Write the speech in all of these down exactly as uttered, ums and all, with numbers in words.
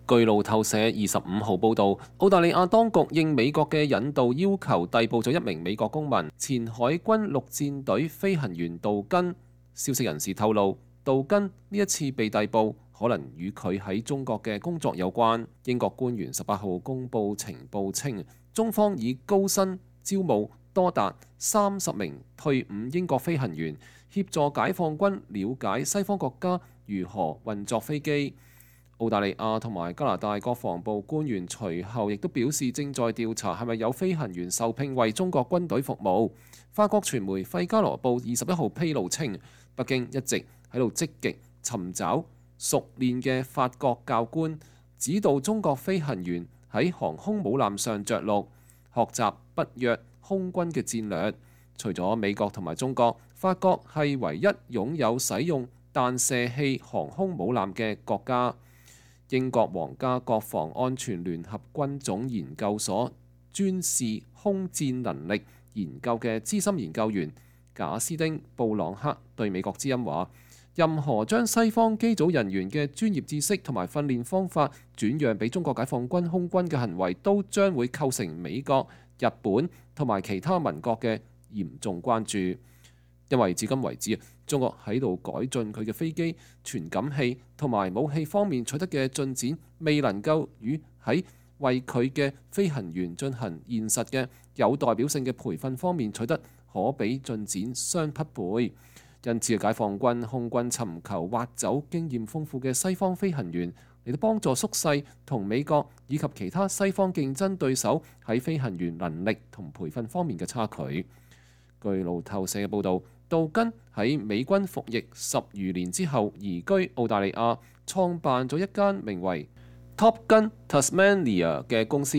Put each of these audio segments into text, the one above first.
據路透社二十五號報導，澳大利亞當局應美國嘅引渡要求，逮捕咗一名美國公民，前海軍陸戰隊飛行員杜根。消息人士透露，杜根呢一次被逮捕，可能與佢喺中國嘅工作有關。英國官員十八號公佈情報稱，中方以高薪招募多達三十名退伍英國飛行員，協助解放軍了解西方國家如何運作飛機。澳大利亞同埋加拿大國防部官員隨後亦都表示，正在調查係咪有飛行員受聘為中國軍隊服務。法國傳媒《費加羅報》二十一號披露稱，北京一直喺度積極尋找熟練嘅法國教官，指導中國飛行員喺航空母艦上着陸，學習北約空軍嘅戰略。除咗美國同埋中國，法國係唯一擁有使用彈射器航空母艦嘅國家。英國皇家國防安全聯合軍種研究所專事空戰能力研究嘅資深研究員賈斯丁布朗克對美國之音話，任何將西方機組人員嘅專業知識同埋訓練方法轉讓俾中國解放軍空軍嘅行為，都將會構成美國、日本同埋其他盟國嘅嚴重關注。因為至今為止，中國喺度改進佢嘅飛機、傳感器同埋武器方面取得嘅進展，未能夠與喺為佢嘅飛行員進行現實嘅有代表性嘅培訓方面取得可比進展相匹配。因此，解放軍空軍尋求挖走經驗豐富嘅西方飛行員，嚟到幫助縮細同美國以及其他西方競爭對手喺飛行員能力同培訓方面嘅差距。據路透社嘅報導，杜根喺美軍服役十餘年之後移居澳大利亞，創辦咗一間名為 Top Gun Tasmania 嘅公司，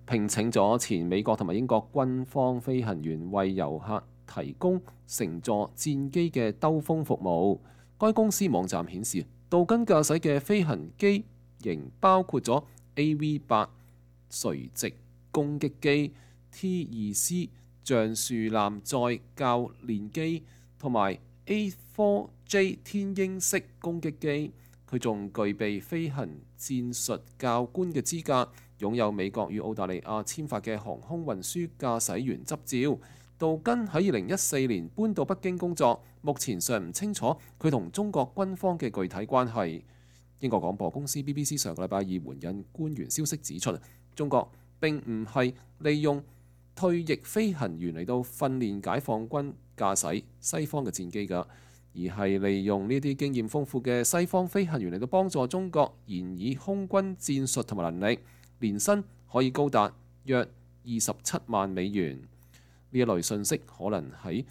聘請咗前美國同埋英國軍方飛行員為遊客提供乘坐戰機嘅兜風服務。該公司網站顯示，杜根駕駛嘅飛行機型包括咗 A V 八 垂直攻擊機、T 二 C 橡樹艦載教練機同埋 A 四 J 天鷹式攻擊機。佢仲具備飛行戰術教官嘅資格，擁有美國與澳大利亞簽發嘅航空運輸駕駛員執照。杜根喺二零一四年搬到北京工作，目前尚唔清楚佢同中國軍方嘅具體關係。英國廣播公司 B B C 上個禮拜二援引官員消息指出，中國並唔係利用退役飛行員嚟到訓練解放軍駕駛西方嘅戰機㗎，而係利用呢啲經驗豐富嘅西方飛行員嚟到幫助中國研擬空軍戰術同埋能力，年薪可以高達約二十七萬美元。呢一類信息可能喺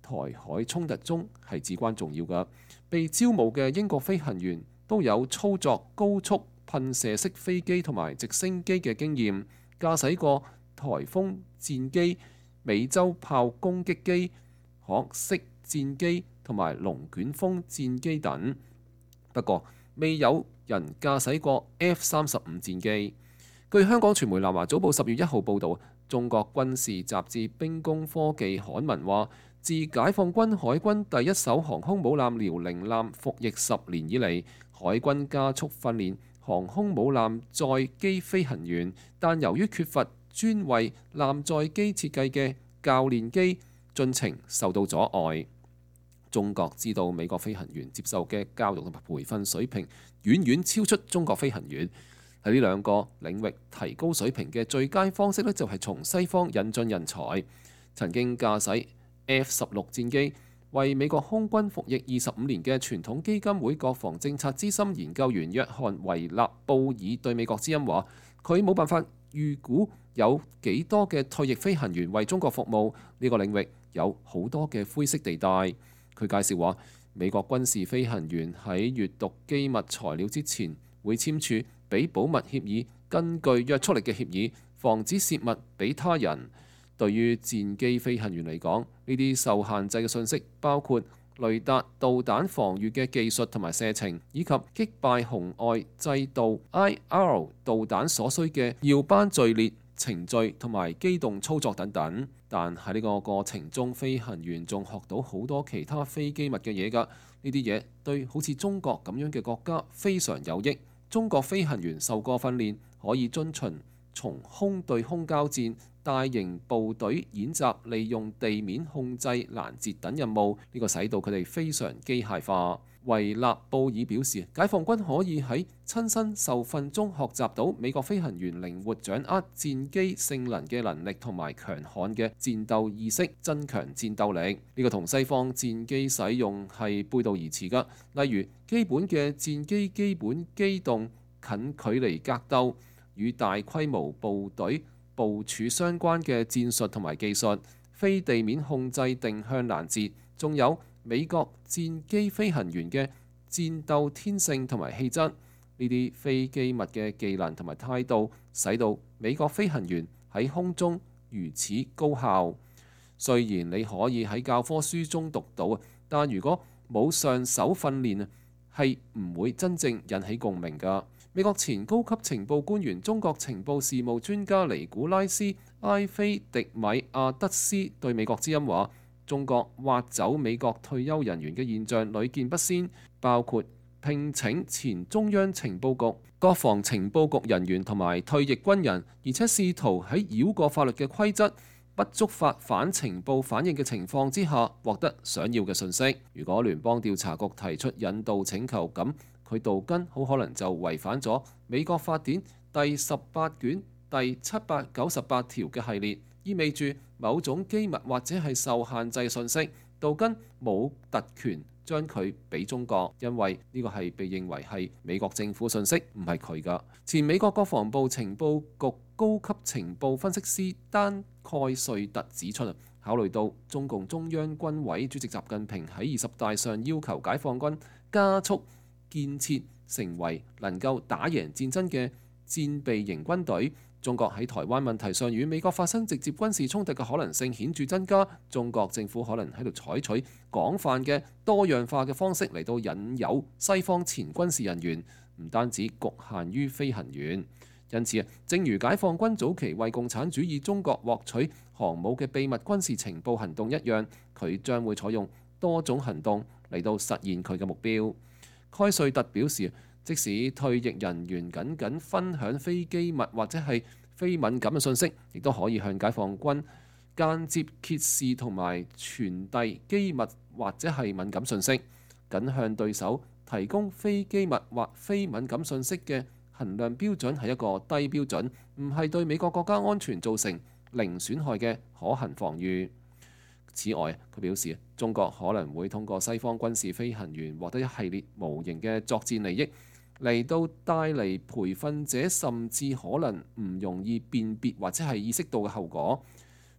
台海衝突中係至關重要㗎。被招募嘅英國飛行員都有操作高速噴射式飛機同埋直升機嘅經驗，駕駛過颱風戰機、美洲豹攻擊機、學式戰機同埋龍捲風戰機等。不過，未有人駕駛過 F 三十五戰機。據香港傳媒南華早報十月一號報導，中國軍事雜誌《兵工科技》刊文話，自解放軍海軍第一艘航空母艦遼寧艦服役十年以嚟，海軍加速訓練航空母艦載機飛行員，但由於缺乏專為艦載機設計嘅教練機，進程受到阻礙。中國知道美國飛行員接受嘅教育同埋培訓水平遠遠超出中國飛行員。喺呢兩個領域提高水平嘅最佳方式呢，就係從西方引進人才。曾經駕駛 F 十六戰機為美國空軍服役二十五年嘅傳統基金會國防政策資深研究員約翰維納布爾對美國之音話，佢冇辦法預估有幾多嘅退役飛行員為中國服務，呢個領域有好多嘅灰色地帶。佢介紹話，美國軍事飛行員喺閱讀機密材料之前會簽署俾保密協議，根據約束力嘅協議，防止泄密俾他人。對於戰機飛行員嚟講，呢啲受限制嘅信息包括雷達導彈防禦嘅技術同埋射程，以及擊敗紅外制導 I R 導彈所需嘅耀班序列程序同埋機動操作等等。但喺呢個過程中，飛行員仲學到好多其他非機密嘅嘢㗎。呢啲嘢對好似中國咁樣嘅國家非常有益。中國飛行員受過訓練，可以遵循從空對空交戰、大型部隊演習、利用地面控制攔截等任務，呢個使到佢哋非常機械化。維納布爾表示，解放軍可以喺親身受訓中學習到美國飛行員靈活掌握戰機性能嘅能力同埋強悍嘅戰鬥意識，增強戰鬥力。呢個同西方戰機使用係背道而馳㗎。例如基本嘅戰機基本機動近距離格鬥，與大規模部隊部署相關嘅戰術同埋技術，非地面控制定向攔截，仲有美國戰機飛行員嘅戰鬥天性同埋氣質，呢啲非機密嘅技能同埋態度，使到美國飛行員喺空中如此高效。雖然你可以喺教科書中讀到啊，但如果冇上手訓練啊，係唔會真正引起共鳴㗎。美國前高級情報官員、中國情報事務專家尼古拉斯埃菲迪米亞德斯對美國之音話：中國挖走美國退休人員嘅現象屢見不鮮，包括聘請前中央情報局、國防情報局人員同埋退役軍人，而且試圖喺繞過法律嘅規則、不觸發反情報反應嘅情況之下獲得想要嘅信息。如果聯邦調查局提出引渡請求，咁佢杜根好可能就違反咗美國法典第十八卷第七百九十八條嘅系列，意味住某種機密或者係受限制信息，杜根冇特權將佢俾中國，因為呢個係被認為係美國政府信息，唔係佢㗎。前美國國防部情報局高級情報分析師丹蓋瑞特指出，考慮到中共中央軍委主席習近平喺二十大上要求解放軍加速建設成為能夠打贏戰爭嘅戰備型軍隊，中國喺台灣問題上與美國發生直接軍事衝突嘅可能性顯著增加。中國政府可能喺度採取廣泛嘅多樣化嘅方式嚟到引誘西方前軍事人員，唔單止局限於飛行員。因此啊，正如解放軍早期為共產主義中國獲取航母嘅秘密軍事情報行動一樣，佢將會採用多種行動嚟到實現佢嘅目標。蓋瑞特表示，即使退役人員僅僅分享非機密或者係非敏感嘅信息，亦都可以向解放軍間接揭示同埋傳遞機密或者係敏感信息。僅向對手提供非機密或非敏感信息嘅衡量標準係一個低標準，唔係對美國國家安全造成零損害嘅可行防禦。此外，佢表示中國可能會通過西方軍事飛行員獲得一系列無形嘅作戰利益，嚟到帶嚟培訓者甚至可能唔容易辨別或者係意識到嘅後果，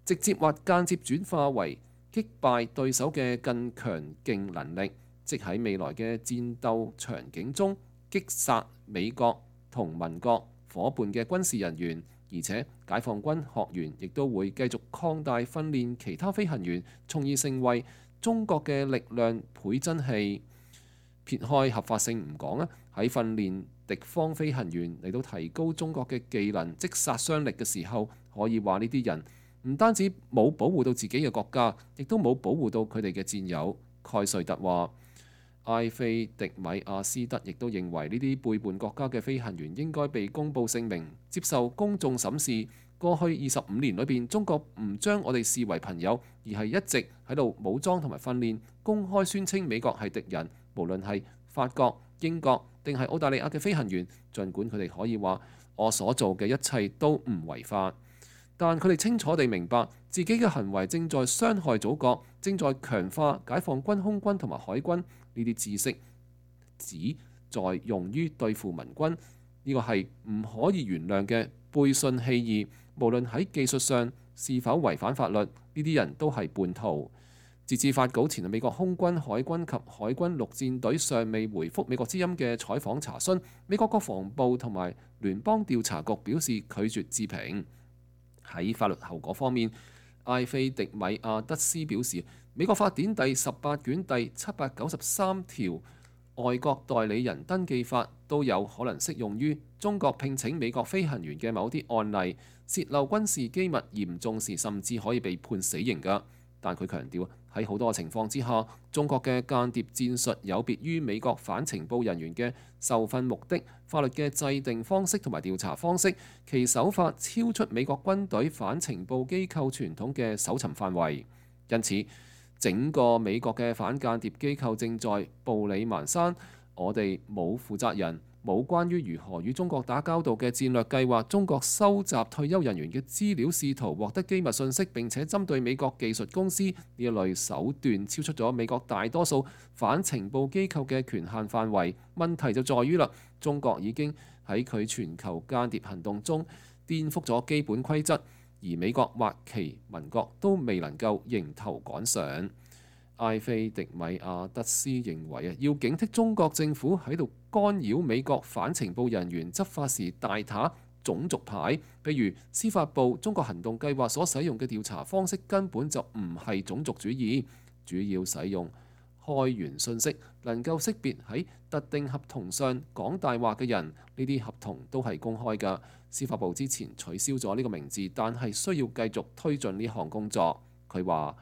直接或間接轉化為擊敗對手嘅更強勁能力，即喺未來嘅戰鬥場景中擊殺美國同盟國夥伴嘅軍事人員。而且解放軍學員亦都會繼續擴大訓練其他飛行員，從而成為中國嘅力量倍增器。撇開合法性唔講啊，喺訓練敵方飛行員嚟到提高中國嘅技能即殺傷力嘅時候，可以話呢啲人唔單止冇保護到自己嘅國家，亦都冇保護到佢哋嘅戰友。蓋瑞特話。埃菲迪米亞斯德亦都認為呢啲背叛國家嘅飛行員應該被公佈姓名，接受公眾審視。過去二十五年裏邊，中國唔將我哋視為朋友，而係一直喺度武裝同埋訓練，公開宣稱美國係敵人。無論係法國、英國定係澳大利亞嘅飛行員，儘管佢哋可以話我所做嘅一切都唔違法，但佢哋清楚地明白自己嘅行為正在傷害祖國，正在強化解放軍空軍同埋海軍。呢啲知識只在用於對付盟軍，呢個係唔可以原諒嘅背信棄義。無論喺技術上是否違反法律，呢啲人都係叛徒。截至發稿前，美國空軍、海軍及海軍陸戰隊尚未回覆美國之音嘅採訪查詢。美國國防部同埋聯邦調查局表示拒絕置評。喺法律後果方面，埃菲迪米亞德斯表示，美國法典第十八卷第七百九十三條外國代理人登記法都有可能適用於中國聘請美國飛行員嘅某啲案例，洩漏軍事機密嚴重時甚至可以被判死刑㗎。但佢強調喺好多情況之下，中國嘅間諜戰術有別於美國反情報人員嘅受訓目的、法律嘅制定方式同埋調查方式，其手法超出美國軍隊反情報機構傳統嘅搜尋範圍。因此，整個美國嘅反間諜機構正在步履蹣跚。我哋冇負責人，冇關於如何與中國打交道嘅戰略計劃。中國收集退休人員嘅資料，試圖獲得機密信息，並且針對美國技術公司，呢一類手段超出咗美國大多數反情報機構嘅權限範圍。問題就在於啦，中國已經喺佢全球間諜行動中顛覆咗基本規則，而美國或其盟國都未能夠迎頭趕上。埃菲迪米亞德斯認為啊，要警惕中國政府喺度干擾美國反情報人員執法時大打種族牌，譬如司法部中國行動計劃所使用嘅調查方式根本就唔係種族主義，主要使用開源信息，能夠識別喺特定合同上講大話嘅人，呢啲合同都係公開㗎。司法部之前取消咗呢個名字，但係需要繼續推進呢項工作。佢話，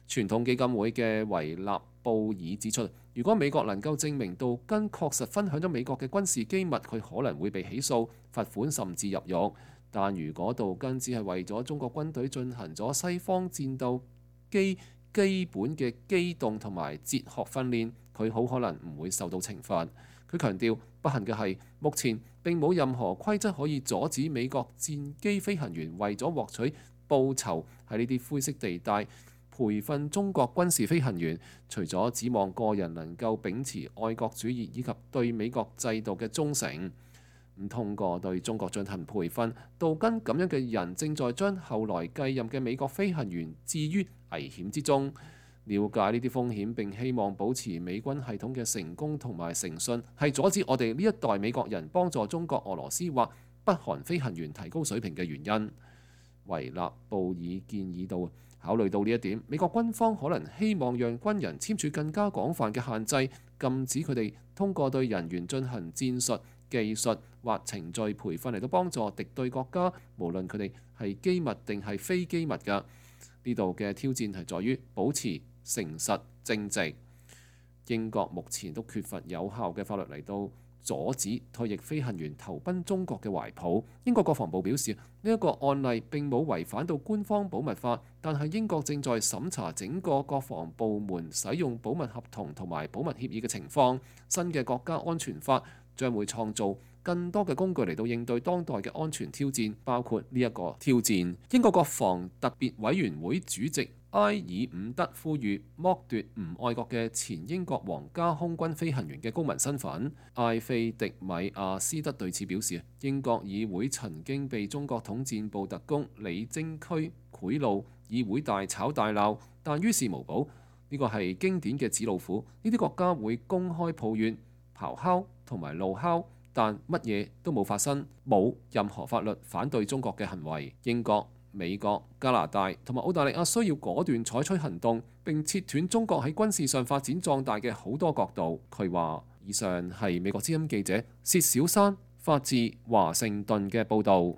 傳統基金會嘅維納布爾指出，如果美國能夠證明杜根確實分享咗美國嘅軍事機密，佢可能會被起訴、罰款甚至入獄。但如果杜根只係為咗中國軍隊進行咗西方戰鬥機基本嘅機動同埋哲學訓練，佢好可能唔會受到懲罰。佢強調，不幸嘅係，目前並冇任何規則可以阻止美國戰機飛行員為咗獲取報酬喺呢啲灰色地帶培訓中國軍事飛行員，除咗指望個人能夠秉持愛國主義以及對美國制度嘅忠誠，唔通過對中國進行培訓。杜根咁樣嘅人正在將後來繼任嘅美國飛行員置於危險之中。了解呢啲風險並希望保持美軍系統嘅成功同埋誠信，係阻止我哋呢一代美國人幫助中國、俄羅斯或北韓飛行員提高水平嘅原因。維納布爾建議到，考慮到呢一點，美國軍方可能希望讓軍人簽署更加廣泛嘅限制，禁止佢哋通過對人員進行戰術、技術或程序培訓嚟到幫助敵對國家，無論佢哋係機密定係非機密㗎。呢度嘅挑戰係在於保持誠實正直。英國目前都缺乏有效嘅法律嚟到阻止退役飛行員投奔中國嘅懷抱。英國國防部表示，呢一個案例並冇違反到官方保密法，但係英國正在審查整個國防部門使用保密合同同埋保密協議嘅情況。新嘅國家安全法將會創造更多嘅工具嚟到應對當代嘅安全挑戰，包括呢一個挑戰。英國國防特別委員會主席埃爾伍德呼籲剝奪唔愛國嘅前英國皇家空軍飛行員嘅公民身份。埃菲迪米亞斯德對此表示，英國議會曾經被中國統戰部特工李貞駒賄賂，議會大吵大鬧，但於事無補。呢個係經典嘅紙老虎，呢啲國家會公開抱怨、咆哮同埋怒哮，但乜嘢都冇發生，冇任何法律反對中國嘅行為。英國、美國、加拿大同埋澳大利亞需要果斷採取行動，並切斷中國喺軍事上發展壯大嘅好多角度。佢話：以上係美國之音記者薛小山發自華盛頓嘅報導。